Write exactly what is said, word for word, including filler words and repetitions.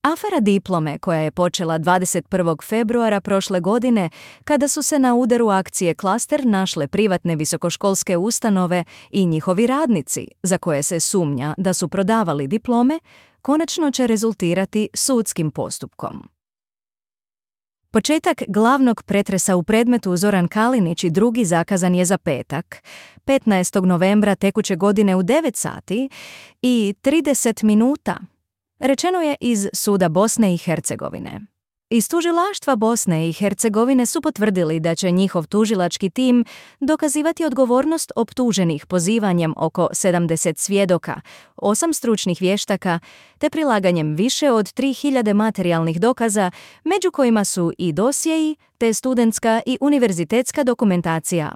Afera diplome, koja je počela dvadeset prvog februara prošle godine, kada su se na udaru akcije Klaster našle privatne visokoškolske ustanove i njihovi radnici, za koje se sumnja da su prodavali diplome, konačno će rezultirati sudskim postupkom. Početak glavnog pretresa u predmetu Zoran Kalinić i drugi zakazan je za petak, petnaestog novembra tekuće godine u devet sati i trideset minuta. Rečeno je iz suda Bosne i Hercegovine. Iz tužilaštva Bosne i Hercegovine su potvrdili da će njihov tužilački tim dokazivati odgovornost optuženih pozivanjem oko sedamdeset svjedoka, osam stručnih vještaka te prilaganjem više od tri hiljade materijalnih dokaza, među kojima su i dosjei te studentska i univerzitetska dokumentacija.